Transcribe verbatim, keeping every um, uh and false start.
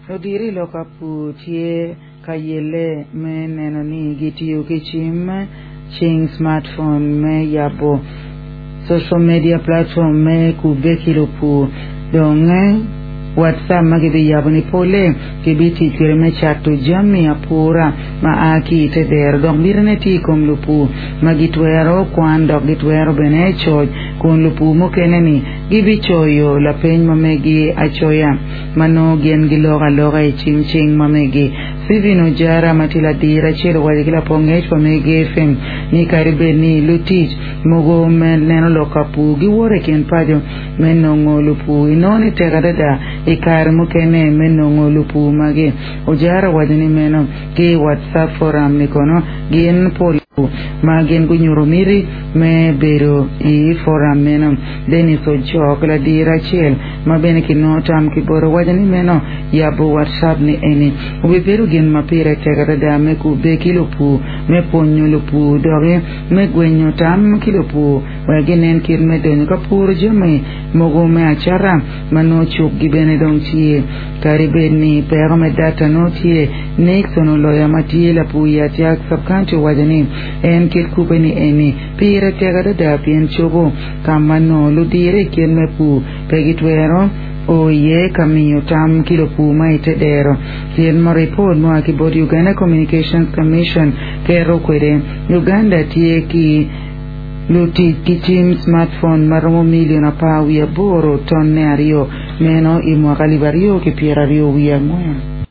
Ludiro i lok ka pur tye ka yelle me neno ni gitiyo ki cim cing smartphone me yabo social media platform me kubbe ki lupur dong WhatsApp ma gibiyabo ni pole gibitic kwede me cato jami apura ma a ki i te dero dok mitine tye i kom lupur ma gitwero kwan dok gitwero bene coc kun lupur mukene ni gibicoyo lapeny ma megi acoya ma nongo gin giloko aloka i cim cing ma megi Stephen Ojara ma tye ladir acel owaco ki lapong ngec pa megi F M ni kadi bed ni lutic mogo me neno lok ka pur giwoto i kin paco me nongo lupur inongo ni tek adada i kare mukene me nongo lupur magi. Ojara owaco ni meno ki WhatsApp forum ni kono gin pol ma gin gunyuto miti me bedo i forum meno. Dennis Ojok ladir acel ma bene kinongo tam ki bote owaco ni meno yabo WhatsApp ni eni obibedo gin ma pire tek adada me kubbe ki lupur me pwonyo lupur doki me gwenyo tam ki lupur wek ginen kit me donyo ka puro jami mogo me acata ma nongo cukgi bene dong tye kadi bed ni peko me data nongo tye. Nixon Oloya ma tye lapur i Atiak sub-county owaco ni en kit kubbe ni eni pire tek adada pien cobo ka ma nongo ludiro i kit me pur pe gitwero o iye ka miyo tam ki lupur ma i te dero. Kit ma ripot mua ki bot Uganda Communications Commission keto kwede, Uganda tye ki lutic ki cim smartphone ma romo milion apar wiye aboro tonne aryo meno i mwaka alip aryo ki pyeraryo wiye angwen.